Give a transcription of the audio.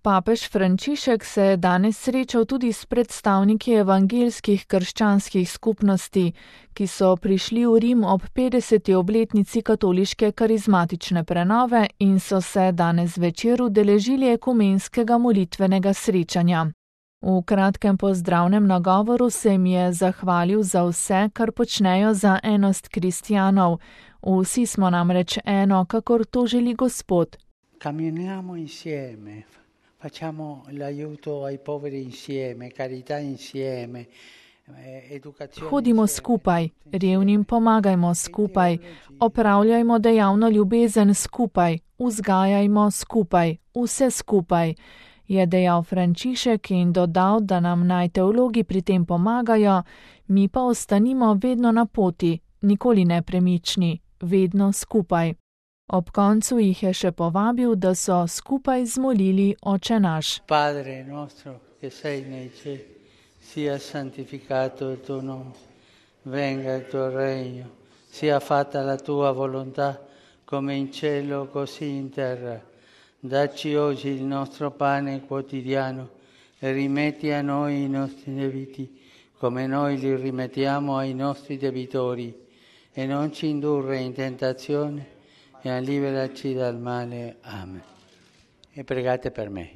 Papež Frančišek se je danes srečal tudi s predstavniki evangeljskih krščanskih skupnosti, ki so prišli v Rim ob 50. obletnici katoliške karizmatične prenove in so se danes večer udeležili ekumenskega molitvenega srečanja. V kratkem pozdravnem nagovoru se jim je zahvalil za vse, kar počnejo za enost kristjanov. Vsi smo namreč eno, kakor to želi Gospod. Camminiamo insieme, facciamo l'aiuto ai poveri insieme, carità insieme, educazione. Hodimo skupaj, revnim pomagajmo skupaj, opravljajmo dejavno ljubezen skupaj, vzgajajmo skupaj, vse skupaj, je dejal Frančišek in dodal, da nam naj teologi pri tem pomagajo, mi pa ostanimo vedno na poti, nikoli nepremični, vedno skupaj. Ob koncu jih je še povabil, da so skupaj zmolili Oče naš. Padre nostro, che sei nei cieli, sia santificato il tuo nome, venga il tuo regno, sia fatta la tua volontà, come in cielo così in terra. Dacci oggi il nostro pane quotidiano e rimetti a noi i nostri debiti, come noi li rimettiamo ai nostri debitori, e non ci indurre in tentazione, e liberaci dal male. Amen. E pregate per me.